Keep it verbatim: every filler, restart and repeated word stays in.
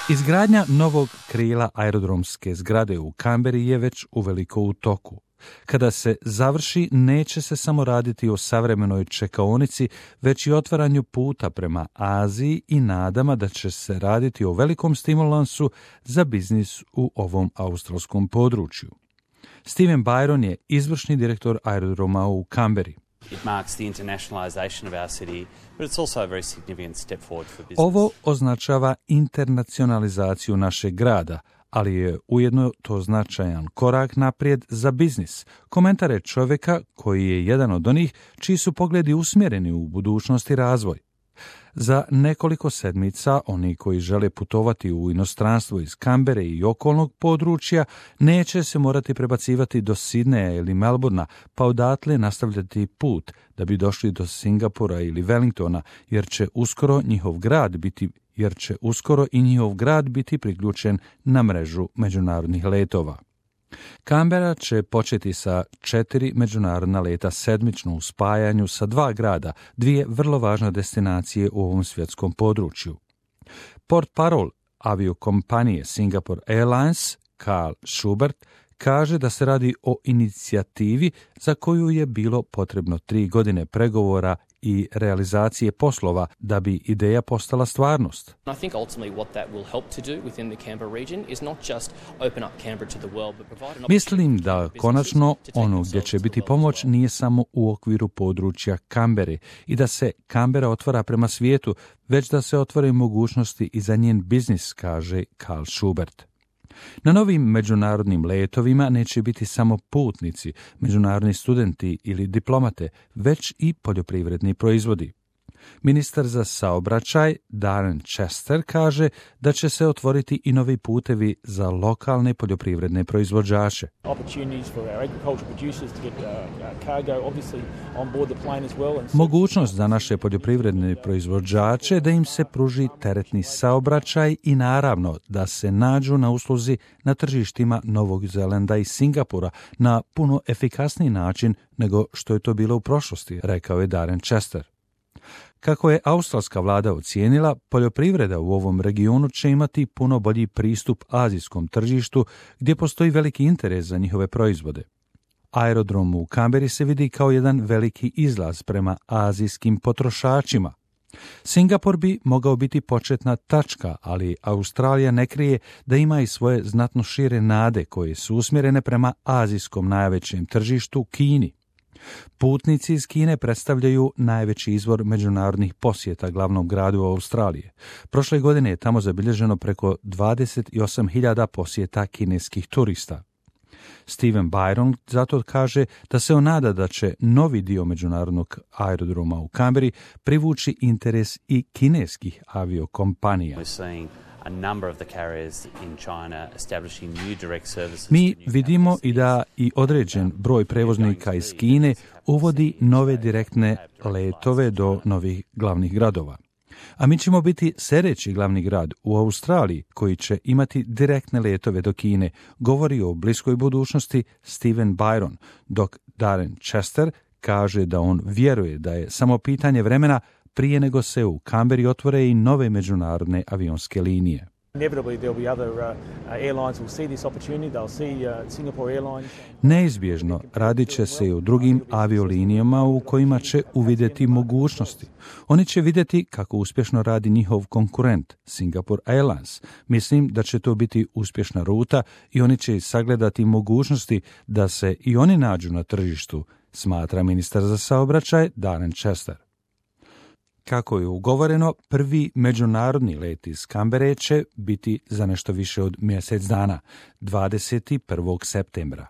Izgradnja novog krila aerodromske zgrade u Kamberi je već uveliko u toku. Kada se završi, neće se samo raditi o savremenoj čekaonici, već i otvaranju puta prema Aziji i nadama da će se raditi o velikom stimulansu za biznis u ovom australskom području. Steven Byron je izvršni direktor aerodroma u Kamberi. It marks the internationalization of our city, but it's also a very significant step forward for business. Ovo označava internacionalizaciju našeg grada, ali je ujedno to značajan korak naprijed za biznis. Komentar je čovjeka koji je jedan od onih čiji su pogledi usmjereni u budućnost i razvoj. Za nekoliko sedmica oni koji žele putovati u inostranstvo iz Kambere i okolnog područja neće se morati prebacivati do Sidneja ili Melbourna, pa odatle nastavljati put da bi došli do Singapura ili Wellingtona, jer će uskoro njihov grad biti jer će uskoro i njihov grad biti priključen na mrežu međunarodnih letova. Kambera će početi sa četiri međunarodna leta sedmično u spajanju sa dva grada, dvije vrlo važne destinacije u ovom svjetskom području. Portparol aviokompanije Singapore Airlines, Carl Schubert, kaže da se radi o inicijativi za koju je bilo potrebno tri godine pregovora i realizacije poslova da bi ideja postala stvarnost. I think ultimately what that will help to do within the Canberra region is not just open up Canberra to the world, but provide an Mislim da konačno ono gdje će biti pomoć nije samo u okviru područja Kambere i da se Kambera otvara prema svijetu, već da se otvore mogućnosti i za njen biznis, kaže Carl Schubert. Na novim međunarodnim letovima neće biti samo putnici, međunarodni studenti ili diplomate, već i poljoprivredni proizvodi. Ministar za saobraćaj Darren Chester kaže da će se otvoriti i novi putevi za lokalne poljoprivredne proizvođače. Mogućnost za naše poljoprivredne proizvođače da im se pruži teretni saobraćaj i naravno da se nađu na usluzi na tržištima Novog Zelanda i Singapura na puno efikasniji način nego što je to bilo u prošlosti, rekao je Darren Chester. Kako je australska vlada ocijenila, poljoprivreda u ovom regionu će imati puno bolji pristup azijskom tržištu gdje postoji veliki interes za njihove proizvode. Aerodrom u Kamberi se vidi kao jedan veliki izlaz prema azijskim potrošačima. Singapur bi mogao biti početna tačka, ali Australija ne krije da ima i svoje znatno šire nade koje su usmjerene prema azijskom najvećem tržištu Kini. Putnici iz Kine predstavljaju najveći izvor međunarodnih posjeta glavnom gradu Australije. Prošle godine je tamo zabilježeno preko dvadeset osam hiljada posjeta kineskih turista. Steven Byron zato kaže da se on nada da će novi dio međunarodnog aerodroma u Kamberi privući interes i kineskih aviokompanija. Mi vidimo i da i određen broj prevoznika iz Kine uvodi nove direktne letove do novih glavnih gradova. A mi ćemo biti sljedeći glavni grad u Australiji koji će imati direktne letove do Kine, govori o bliskoj budućnosti Steven Byron, dok Darren Chester kaže da on vjeruje da je samo pitanje vremena prije nego se u Kamberi otvore i nove međunarodne avionske linije. Neizbježno radit će se i u drugim aviolinijama u kojima će uvidjeti mogućnosti. Oni će vidjeti kako uspješno radi njihov konkurent, Singapore Airlines. Mislim da će to biti uspješna ruta i oni će sagledati mogućnosti da se i oni nađu na tržištu, smatra ministar za saobraćaj Darren Chester. Kako je ugovoreno, prvi međunarodni let iz Kambere će biti za nešto više od mjesec dana, dvadeset prvog septembra.